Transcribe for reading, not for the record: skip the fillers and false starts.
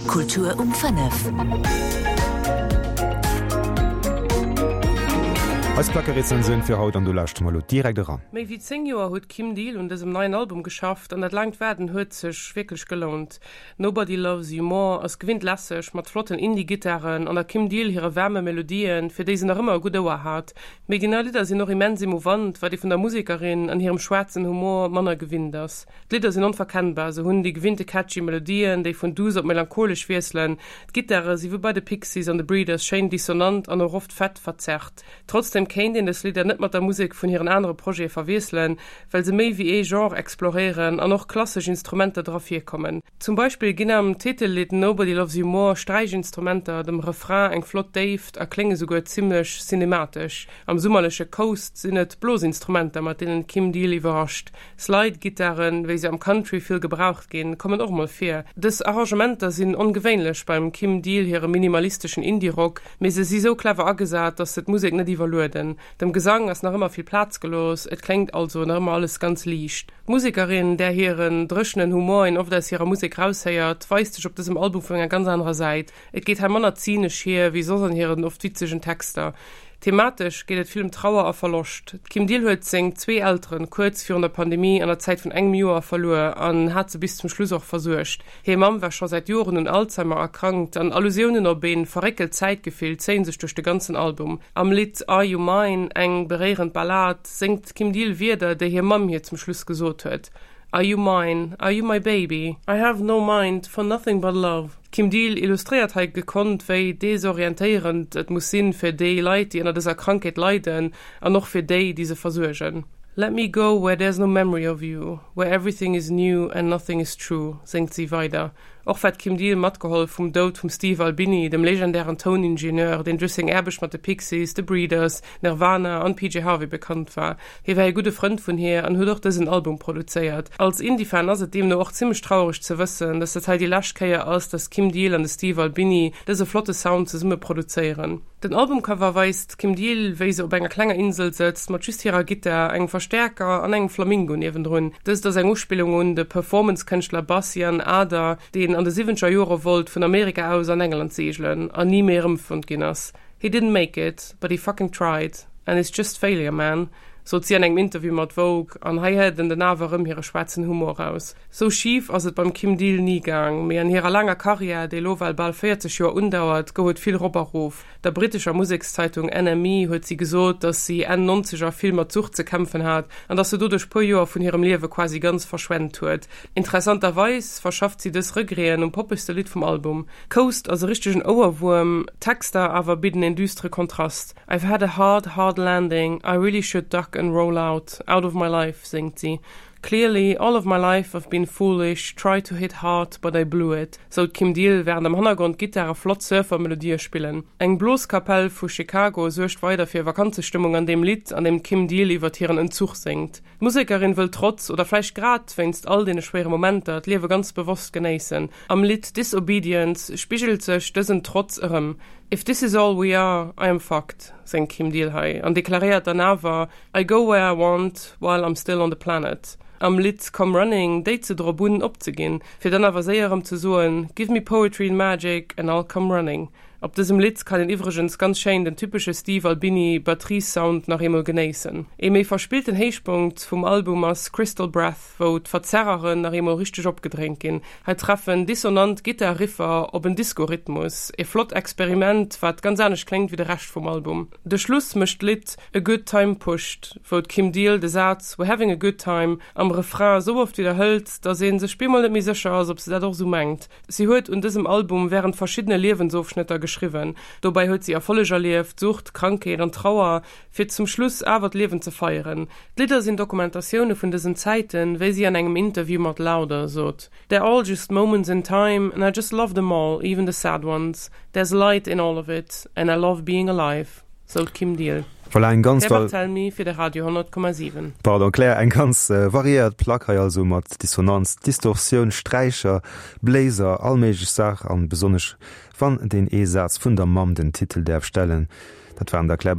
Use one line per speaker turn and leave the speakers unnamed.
Kultur um 5.
Eis Plackerezensioun fir haut an do lauschte mer elo direkt eran.
Méi wéi 10 Joer huet d'Kim Deal un dësem neien Album geschafft an dat laangt Waarden huet sech wierklech gelount. Nobody Loves You More ass gewinnt lässeg, mat flotten Indie-Gittaren an der Kim Deal hire waarme Melodien, fir déi se nach ëmmer e gutt Ouer hat. Mee déi nei Lidder sinn och immens emouvant, wat ee vun der Musekerin an hirem schwaarzen Humor manner gewinnt ass. D'Lidder sinn onverkennbar, se hunn déi gewinnte catchy Melodien, déi vun duuss op melancholesch wiesselen. D'Gittare si wéi bei de Pixies an de Breeders schéin dissonant an och oft fett verzerrt. Trotzdem kéint een dës Lidder net mat der Musek vun hiren anere Projete verwiesselen, well se méi wéi ee Genre exploréieren an och klassesch Instrumenter dra virkommen. Zum Beispill ginn am Titellidd Nobody Loves You More Sträichinstrumenter dem Refrain eng flott Déift a klénge souguer zimmlech cinematesch. Am summerleche Coast sinn et Blosinstrumenter, mat deenen d'Kim Deal iwwerrascht. Slide-Gittaren, wéi se am Country vill gebraucht ginn, kommen och mol vir. Dës Arrangementer sinn ongewéinlech beim Kim Deal hirem minimalisteschen Indie-Rock, mee se si sou clever agesat, dass se d'Musek net iwwerlueden. Dem Gesang ass nach ëmmer vill Plaz gelooss, et kléngt also nach ëmmer alles ganz liicht. D'Musekerin, där hiren dréchenen Humor een oft aus hirer Musek raushéiert, weist sech op dësem Album vun enger ganz anerer Säit. Et geet hei manner zynesch hier, wéi soss an hiren oft witzegen Texter. Thematesch geet et vill ëm Trauer a Verloscht. D'Kim Diehl huet seng zwee Elteren kuerz virun der Pandemie an der Zäit vun engem Joer verluer an hat se bis zum Schluss och versuergt. Hir Mamm war scho säit Joren un Alzheimer erkrankt an Allusiounen op ee verréckelt Zäitgefill zéien sech duerch de ganzen Album. Am Lidd Are You Mine, eng beréierend Ballad, séngt d'Kim Diehl Wierder, déi hir Mamm hir zum Schluss gesot huet, Are you mine, are you my baby, I have no mind for nothing but love. D'Kim Diehl illustréiert hei gekonnt, wéi desorientéierend et muss sinn fir déi Leit, déi ënner dëser Krankheet leiden an och fir déi, déi se versuergen. Let me go where there's no memory of you, where everything is new and nothing is true, séngt si weider. Och war d'Kim Diehl matgeholl vum Doud vum Steve Albini, dem legendären Touningenieur, deen duerch seng Aarbecht mat de Pixies, de Breeders, Nirvana an PJ Harvey bekannt war. Hie war ee gudde Frënd vun hir an huet och dësen Album produzéiert. Als Indie-Fan ass et deemno och zimmlech trauereg ze wëssen, dass dat hei déi lescht Kéier ass, dass d'Kim Deal an de Steve Albini dëse flotte Sound zesumme produzéieren. Den Albumcover weist d'Kim Deal, wéi se op enger klenger Insel sëtzt, mat just hirer Gittar, engem Verstäerker an engem Flamingo niewendrun. Dëst ass eng Uspillung un de Performance-Kënschtler Bas Jan Ader, deen an de siwwenzeger Jore wollt vun Amerika aus an England seegelen an ni méi erëmfonnt ginn ass. He didn't make it, but he fucking tried, and it's just failure, man, sot si an engem Interview mat Vogue, an hei héiert en den awer erëm hire schwaarzen Humor raus. Sou schif ass et beim Kim Deal ni gaang, mee an hirer laanger Karriär, déi elo well bal 40 Joer undauert, gouf et vill rop a rof. Der brittescher Musekszeitung NME huet si gesot, datt si Enn Nonzeger vill mat Sucht ze kämpfen hat an datt se doduerch puer Joer vun hirem Liewe quasi ganz verschwent huet. Interessanterweis verschafft si dës Regreten um poppegste Lidd vum Album. Coast ass e richtegen Ouerwuerm, d'Texter awer bidden een düstere Kontrast. I've had a hard, hard landing, I really should duck and roll out, out of my life, séngt si. Clearly, all of my life I've been foolish, tried to hit hard, but I blew it, sou d'Kim Deal, wärend am Hannergrond d'Gittare flott Surfer-Melodië spillen. Eng Bloskapell vu Chicago suergt weider fir Vakanzestëmmung an deem Lidd, an deem d'Kim Deal iwwert hiren Entzuch séngt. D'Musekerin wëll trotz, oder vläicht grad wéinst all deene schwéiere Momenter, d'Liewe ganz bewosst genéissen. Am Lidd Disobedience spigelt sech dësen Trotz erëm. If this is all we are, I am fucked, séngt d'Kim Deal hei an deklaréiert dann awer, I go where I want while I'm still on the planet. Am Lidd Come Running déit se drop un, opzeginn, fir dann awer séier erëm ze soen, Give me poetry and magic and I'll come running. Op dësem Lidd kann een iwwregens ganz schéin den typesche Steve Albini Batteriessound nach eemol genéissen. Ee méi verspillten Héichpunkt vum Album ass Crystal Breath, wou d'Verzerreren nach eemol richteg opgedréint ginn. Hei treffen dissonant Gittar-Riffer op en Disco-Rhythmus, ee flott Experiment, wat ganz anescht kléngt wéi de Rescht vum Album. De Schluss mécht d'Lidd A Good Time Pushed, wou d'Kim Deal de Saz We're having a good time am Refrain sou oft widderhëlt, datt ee sech bemol net méi sécher ass, ob se dat och sou mengt. Si huet un dësem Album wärend verschiddene Liewensofschnëtter geschriwwen. Dobäi huet si Erfolleg erlieft, Sucht, Krankheet an Trauer, fir zum Schluss awer d'Liewen ze feieren. D'Lidder sinn Dokumentatioune vun dësen Zäiten, wéi si an engem Interview mat Louder sot, They're all just moments in time and I just love them all, even the sad ones. There's light in all of it and I love being alive. Sou d'Kim Diehl.
Voilà, eng ganz
Claire Barthelmy fir de Radio 100,7.
Pardon Claire, eng ganz variéiert Plack hei also mat Dissonanz, Distorsioun, Sträicher, Bléiser, all méiglech Saach an besonnesch wann deen ee Saz vun der Mamm den Titel däerf stellen. Dat waren der Claire.